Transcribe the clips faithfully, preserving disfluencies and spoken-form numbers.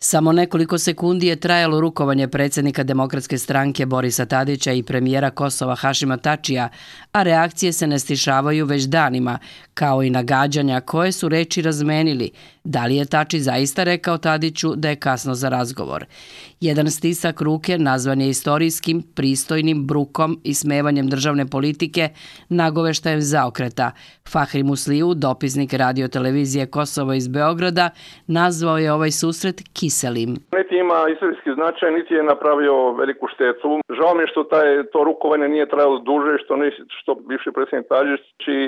Samo nekoliko sekundi je trajalo rukovanje predsjednika Demokratske stranke Borisa Tadića i premijera Kosova Hašima Tačija, a reakcije se ne stišavaju već danima, kao i nagađanja koje su reči razmenili. Da li je Tači zaista rekao Tadiću da je kasno za razgovor? Jedan stisak ruke nazvan je istorijskim, pristojnim brukom i smevanjem državne politike, nagoveštajem zaokreta. Fahri Musliju, dopisnik radiotelevizije Kosovo iz Beograda, nazvao je ovaj susret kiselim. Niti ima istorijski značaj, niti je napravio veliku štetu. Žao mi je što taj, to rukovanje nije trajalo duže, što, nis, što bivši predsjednik Tadić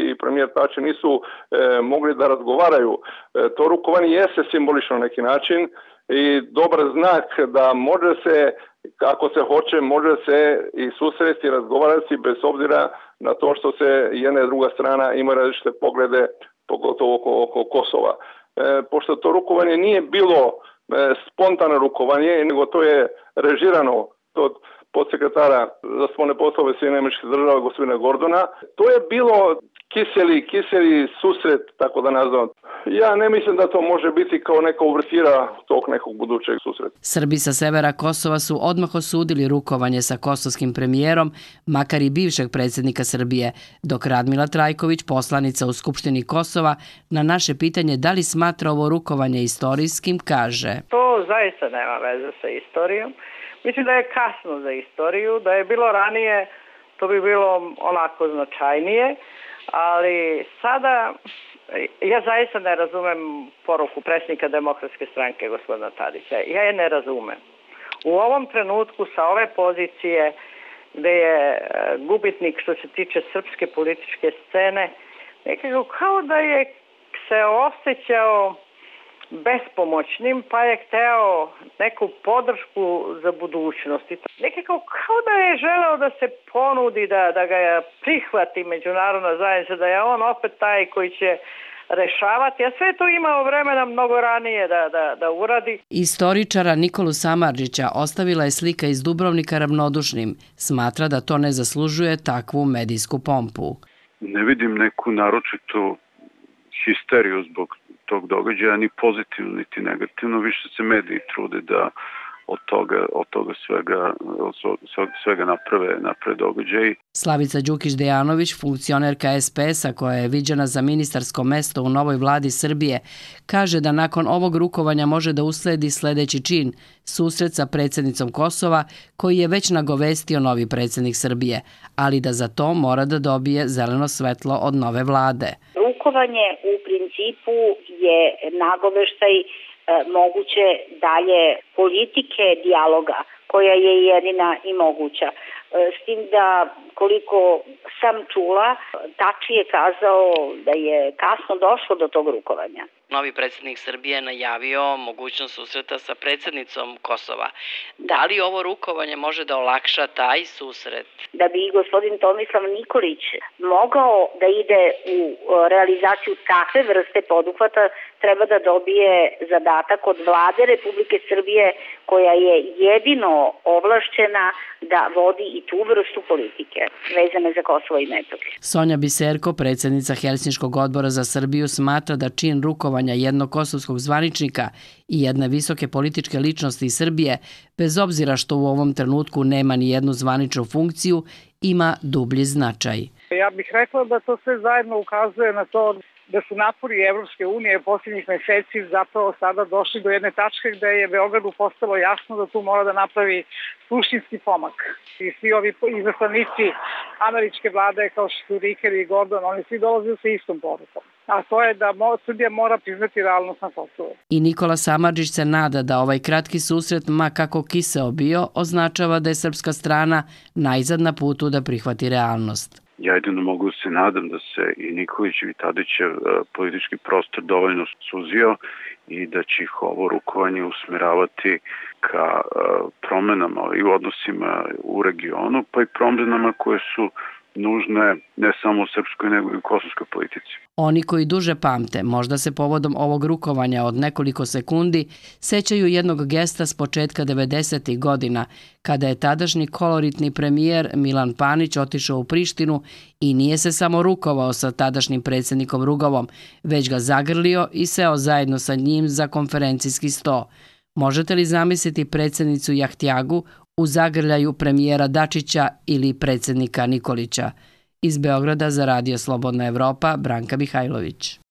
i premijer Tači nisu e, mogli da razgovaraju. E, to rukovanje jeste simbolično na neki način i dobar znak da može se, ako se hoće, može se i susresti i razgovarati bez obzira na to što se jedna i druga strana ima različite poglede, pogotovo oko, oko Kosova. E, pošto to rukovanje nije bilo e, spontano rukovanje, nego to je režirano od podsekretara za spoljne poslove Sjedinjenih Američkih Država gospodina Gordona. To je bilo kiseli, kiseli susret, tako da nazvam. Ja ne mislim da to može biti kao neka uvrtira tog nekog budućeg susreta. Srbi sa severa Kosova su odmah osudili rukovanje sa kosovskim premijerom, makar i bivšeg predsjednika Srbije, dok Radmila Trajković, poslanica u Skupštini Kosova, na naše pitanje da li smatra ovo rukovanje istorijskim, kaže: To zaista nema veze sa istorijom. Mislim da je kasno za istoriju, da je bilo ranije, to bi bilo onako značajnije, ali sada ja zaista ne razumem poruku predsjednika Demokratske stranke gospodina Tadića. Ja je ne razumem. U ovom trenutku sa ove pozicije gdje je gubitnik što se tiče srpske političke scene, nekako kao da je se osjećao bespomoćnim, pa je hteo neku podršku za budućnost. Nekako kao da je želeo da se ponudi, da, da ga prihvati međunarodna zajednica, da je on opet taj koji će rešavati, a sve to imao vremena mnogo ranije da, da, da uradi. Istoričara Nikolu Samardžića ostavila je slika iz Dubrovnika ravnodušnim. Smatra da to ne zaslužuje takvu medijsku pompu. Ne vidim neku naročitu histeriju zbog tog događaja, ni pozitivno, niti negativno. Više se mediji trude da od toga, od toga svega, od svega naprave, naprave događaji. Slavica Đukić-Dejanović, funkcionerka es pe es-a koja je viđena za ministarsko mesto u novoj vladi Srbije, kaže da nakon ovog rukovanja može da usledi sledeći čin, susret sa predsjednicom Kosova, koji je već nagovestio novi predsjednik Srbije, ali da za to mora da dobije zeleno svetlo od nove vlade. Rukovanje u principu je nagoveštaj e, moguće dalje politike dijaloga koja je jedina i moguća. E, s tim da koliko sam čula, Tači je kazao da je kasno došlo do tog rukovanja. Novi predsjednik Srbije je najavio mogućnost susreta sa predsjednicom Kosova. Da li ovo rukovanje može da olakša taj susret? Da bi gospodin Tomislav Nikolić mogao da ide u realizaciju takve vrste poduhvata, treba da dobije zadatak od vlade Republike Srbije, koja je jedino ovlašćena da vodi i tu vrstu politike vezane za Kosovo i Metohiju. Sonja Biserko, predsjednica Helsinškog odbora za Srbiju, smatra da čin rukovanja jednog kosovskog zvaničnika i jedne visoke političke ličnosti iz Srbije, bez obzira što u ovom trenutku nema ni jednu zvaničnu funkciju, ima dublji značaj. Ja bih rekla da to sve zajedno ukazuje na to da su napori Evropske unije posljednjih meseci zapravo sada došli do jedne tačke gde je Beogradu postalo jasno da tu mora da napravi suštinski pomak. I svi ovi izaslanici američke vlade kao što su Riker i Gordon, oni svi dolaze sa istom porukom. A to je da Srbija mora priznati realnost na Kosovu. I Nikola Samardžić se nada da ovaj kratki susret, ma kako kiseo bio, označava da je srpska strana najzad na putu da prihvati realnost. Ja jedino mogu se nadam da se i Nikolićev i Tadićev politički prostor dovoljno suzio i da će ih ovo rukovanje usmeravati ka promenama i u odnosima u regionu, pa i promenama koje su nužne ne samo u srpskoj nego i u kosovskoj politici. Oni koji duže pamte, možda se povodom ovog rukovanja od nekoliko sekundi, sećaju jednog gesta s početka devedesetih godina, kada je tadašnji koloritni premijer Milan Panić otišao u Prištinu i nije se samo rukovao sa tadašnjim predsjednikom Rugovom, već ga zagrlio i seo zajedno sa njim za konferencijski sto. Možete li zamisliti predsjednicu Jahtjagu u zagrljaju premijera Dačića ili predsjednika Nikolića? Iz Beograda za Radio Slobodna Evropa, Branka Mihajlović.